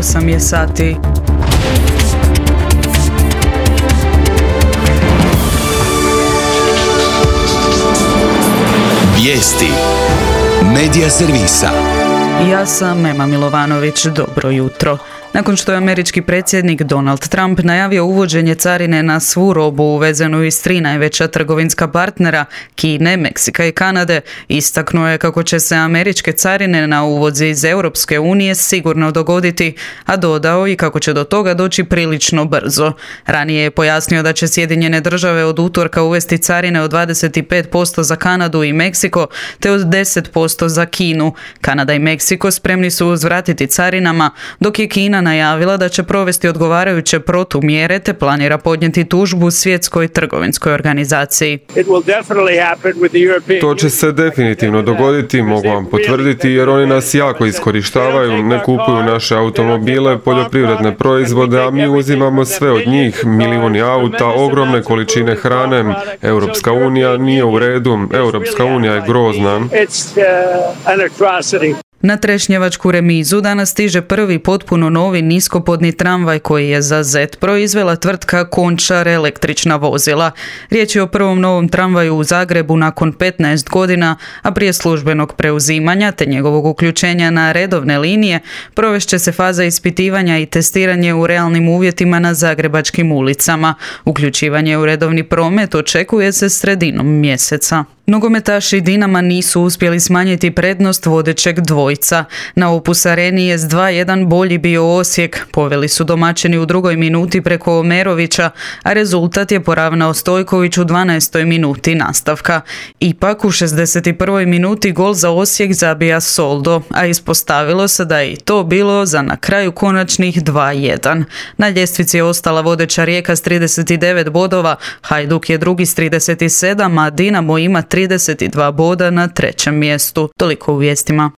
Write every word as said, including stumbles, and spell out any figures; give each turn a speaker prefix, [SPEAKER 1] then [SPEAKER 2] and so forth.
[SPEAKER 1] osam je sati.
[SPEAKER 2] Vijesti Medija servisa.
[SPEAKER 1] Ja sam Ema Milovanović, dobro jutro. Nakon što je američki predsjednik Donald Trump najavio uvođenje carine na svu robu uvezenu iz tri najveća trgovinska partnera, Kine, Meksika i Kanade, istaknuo je kako će se američke carine na uvoz iz Europske unije sigurno dogoditi, a dodao i kako će do toga doći prilično brzo. Ranije je pojasnio da će Sjedinjene države od utorka uvesti carine od dvadeset pet posto za Kanadu i Meksiko, te od deset posto za Kinu. Kanada i Meksiko spremni su uzvratiti carinama, dok je Kina najavila da će provesti odgovarajuće protumjere te planira podnijeti tužbu Svjetskoj trgovinskoj organizaciji.
[SPEAKER 3] To će se definitivno dogoditi, mogu vam potvrditi, jer oni nas jako iskorištavaju, ne kupuju naše automobile, poljoprivredne proizvode, a mi uzimamo sve od njih, milijuni auta, ogromne količine hrane. Europska unija nije u redu, Europska unija je grozna.
[SPEAKER 1] Na Trešnjevačku remizu danas stiže prvi potpuno novi niskopodni tramvaj koji je za Zet proizvela tvrtka Končar električna vozila. Riječ je o prvom novom tramvaju u Zagrebu nakon petnaest godina, a prije službenog preuzimanja te njegovog uključenja na redovne linije provešće se faza ispitivanja i testiranje u realnim uvjetima na zagrebačkim ulicama. Uključivanje u redovni promet očekuje se sredinom mjeseca. Nogometaši Dinama nisu uspjeli smanjiti prednost vodećeg dvojca. Na Opus Areni je s dva jedan bolji bio Osijek. Poveli su domaćini u drugoj minuti preko Omerovića, a rezultat je poravnao Stojković u dvanaestoj minuti nastavka. Ipak u šezdeset prvoj minuti gol za Osijek zabija Soldo, a ispostavilo se da je i to bilo za na kraju konačnih dva jedan. Na ljestvici je ostala vodeća Rijeka s trideset devet bodova, Hajduk je drugi s trideset sedam, a Dinamo ima trideset dva boda na trećem mjestu. Toliko u vijestima.